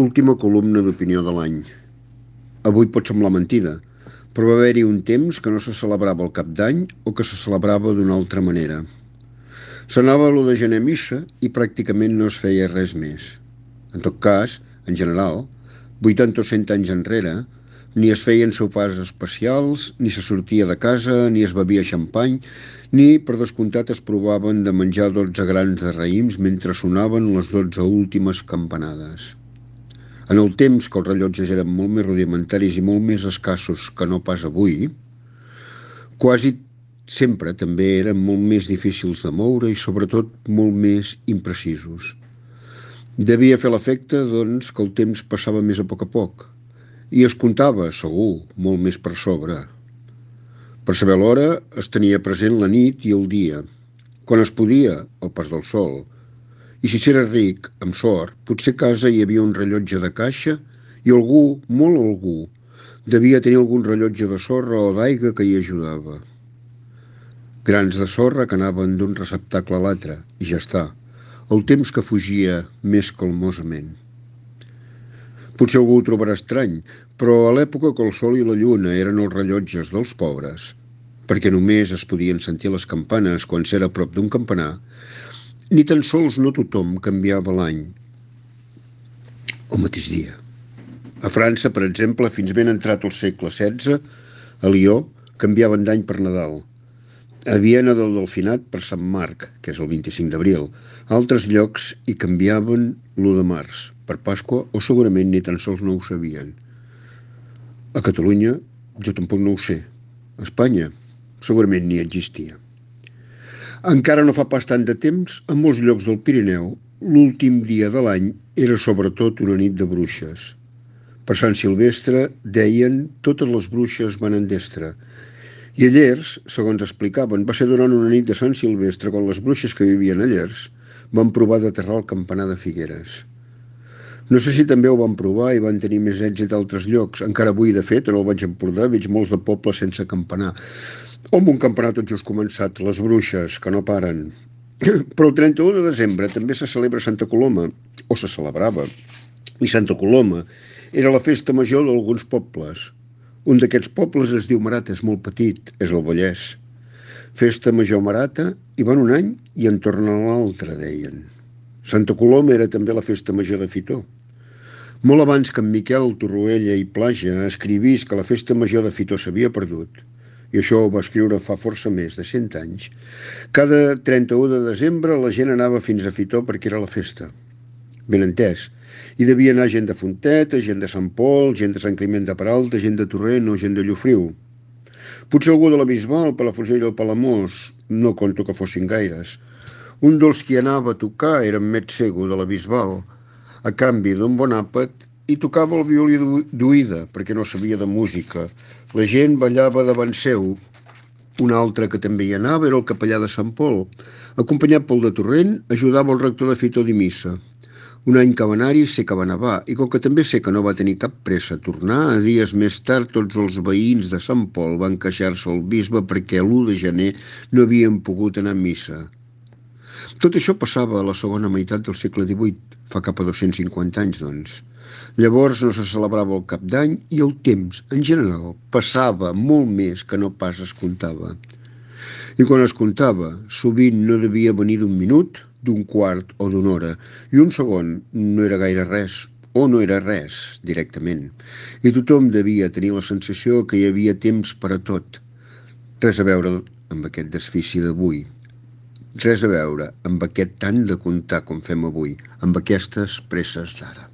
Última columna d'opinió de l'any. Avui pot semblar mentida, però va haver-hi un temps que no se celebrava el Cap d'Any o que se celebrava d'una altra manera. S'anava a l'1 de gener a missa i pràcticament no es feia res més. En tot cas, en general, 80 o 100 anys enrere, ni es feien sopars especials, ni se sortia de casa, ni es bevia xampany, ni, per descomptat, es provaven de menjar 12 grans de raïms mentre sonaven les 12 últimes campanades. En el temps que els rellotges eren molt més rudimentaris i molt més escassos que no pas avui, quasi sempre també eren molt més difícils de moure i sobretot molt més imprecisos. Devia fer l'efecte, doncs, que el temps passava més a poc i es comptava, segur, molt més per sobre. Per saber l'hora es tenia present la nit i el dia, quan es podia, el pas del sol. I si s'era ric, amb sort, potser a casa hi havia un rellotge de caixa i algú, molt algú, devia tenir algun rellotge de sorra o d'aigua que hi ajudava. Grans de sorra que anaven d'un receptacle a l'altre, i ja està. El temps que fugia més calmosament. Potser algú ho trobarà estrany, però a l'època que el sol i la lluna eren els rellotges dels pobres, perquè només es podien sentir les campanes quan s'era a prop d'un campanar, ni tan sols no tothom canviava l'any el mateix dia. A França, per exemple, fins ben entrat el segle XVI, a Lió, canviaven d'any per Nadal. A Viena del Delfinat per Sant Marc, que és el 25 d'abril. A altres llocs hi canviaven l'1 de març, per Pasqua, o segurament ni tan sols no ho sabien. A Catalunya, jo tampoc no ho sé. A Espanya, segurament ni existia. Encara no fa pas tant de temps, a molts llocs del Pirineu, l'últim dia de l'any era sobretot una nit de bruixes. Per Sant Silvestre, deien, totes les bruixes van en destre. I a Llers, segons explicaven, va ser durant una nit de Sant Silvestre quan les bruixes que vivien a Llers van provar d'aterrar el campanar de Figueres. No sé si també ho van provar i van tenir més èxit a altres llocs. Encara avui, de fet, en el Baix Empordà veig molts de pobles sense campanar. O amb un campanar tot just començat, les bruixes, que no paren. Però el 31 de desembre també se celebra Santa Coloma, o se celebrava. I Santa Coloma era la festa major d'alguns pobles. Un d'aquests pobles es diu Marata, és molt petit, és el Vallès. Festa major Marata, hi van un any i en tornen l'altre, deien. Santa Coloma era també la festa major de Fitó. Molt abans que en Miquel Torroella i Plaja escrivís que la festa major de Fitó s'havia perdut, i això ho va escriure fa força més de 100 anys, cada 31 de desembre la gent anava fins a Fitó perquè era la festa. Ben entès. Hi devia anar gent de Fonteta, gent de Sant Pol, gent de Sant Climent de Peralta, gent de Torrent o gent de Llofriu. Potser algú de la Bisbal, Palafrugell o Palamós, no conto que fossin gaires. Un dels qui anava a tocar era en Met Sego de la Bisbal, a canvi d'un bon àpat, i tocava el violí d'oïda, perquè no sabia de música. La gent ballava davant seu. Un altre que també hi anava era el capellà de Sant Pol. Acompanyat pel de Torrent, ajudava el rector de Fitó de missa. Un any que va anar-hi sé que va nevar, i com que també sé que no va tenir cap pressa a tornar, dies més tard tots els veïns de Sant Pol van queixar-se al bisbe perquè l'1 de gener no havien pogut anar a missa. Tot això passava a la segona meitat del segle XVIII, fa cap a 250 anys, doncs. Llavors no se celebrava el Cap d'Any i el temps, en general, passava molt més que no pas es comptava. I quan es comptava, sovint no devia venir d'un minut, d'un quart o d'una hora, i un segon no era gaire res, o no era res, directament. I tothom devia tenir la sensació que hi havia temps per a tot. Res a veure amb aquest desfici d'avui. Res a veure amb aquest tant de comptar com fem avui, amb aquestes presses d'ara.